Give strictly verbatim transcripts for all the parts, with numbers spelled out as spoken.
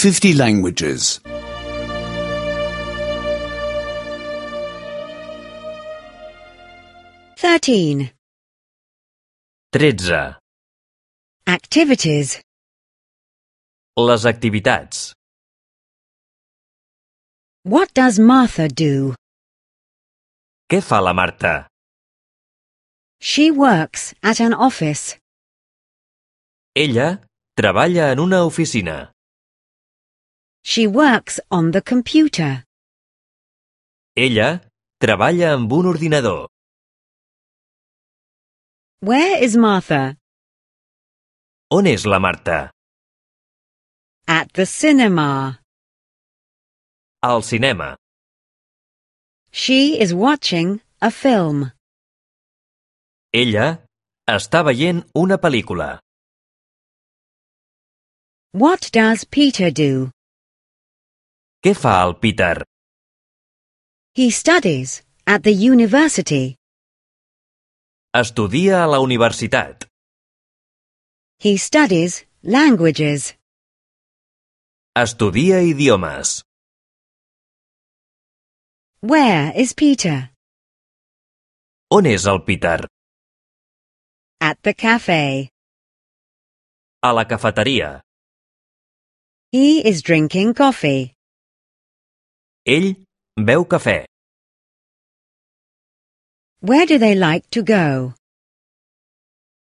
fifty languages. Thirteen. tretze. Activities. Les activitats. What does Martha do? Què fa la Marta? She works at an office. Ella treballa en una oficina. She works on the computer. Ella treballa amb un ordinador. Where is Martha? On és la Marta? At the cinema. Al cinema. She is watching a film. Ella està veient una pel·lícula. What does Peter do? Què fa el Peter? He studies at the university. Estudia a la universitat. He studies languages. Estudia idiomes. Where is Peter? On és el Peter? At the cafe. A la cafeteria. He is drinking coffee. Ell beu cafè. Where do they like to go?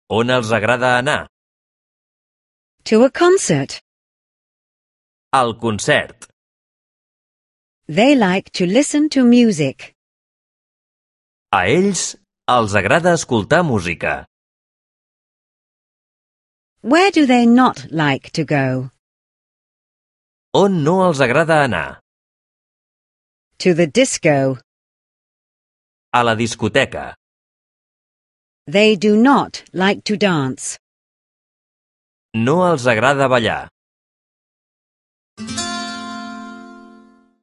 On els agrada anar? To a concert. Al concert. They like to listen to music. A ells els agrada escoltar música. Where do they not like to go? On no els agrada anar? To the disco. A la discoteca. They do not like to dance. No els agrada ballar.